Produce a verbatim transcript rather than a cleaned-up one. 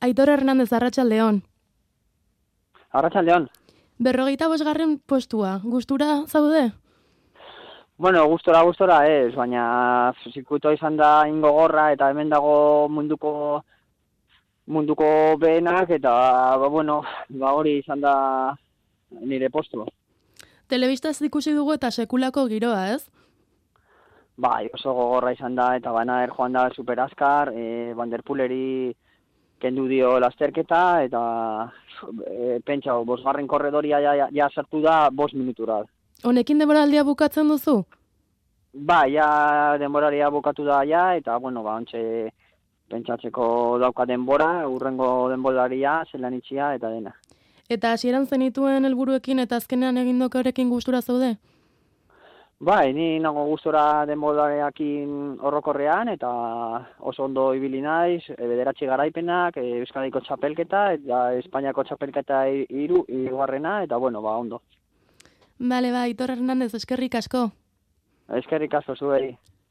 Aitor Hernandez, Arratsaldeon. Arratsaldeon. Berrogeita bosgarren postua, gustura zaude? Bueno, gustora, gustora ez, baina zirkuitoa izan da ingogorra eta hemen dago munduko munduko behenak eta, ba, bueno, ba hori izan da nire postua. Telebistaz ikusi dugu eta sekulako giroa, ez? Bai, oso gogorra izan da eta Van Aert joan da super azkar, e, Van der Poeleri kendu dio lasterketa eta e, pentsau, bosgarren korredoria ja, ja, ja sartu da bost minutura. Honekin denboraldia bukatzen duzu? Ba, ja denboraria bukatu da ja eta, bueno, ba, ontxe pentsatzeko dauka denbora, urrengo denboraria, zelan itxia eta dena. Eta hasieran zenituen helburuekin eta azkenean egindokorekin gustura zaude? Bai, ni nago gustora denborarekin horrokorrean eta oso ondo ibili naiz, bederatzi garaipenak, Euskadiko txapelketa eta Espainiako txapelketa hiru hirugarrena eta bueno, ba ondo. Bale, ba, Aitor Hernandez, eskerrik asko. Eskerrik asko zuei.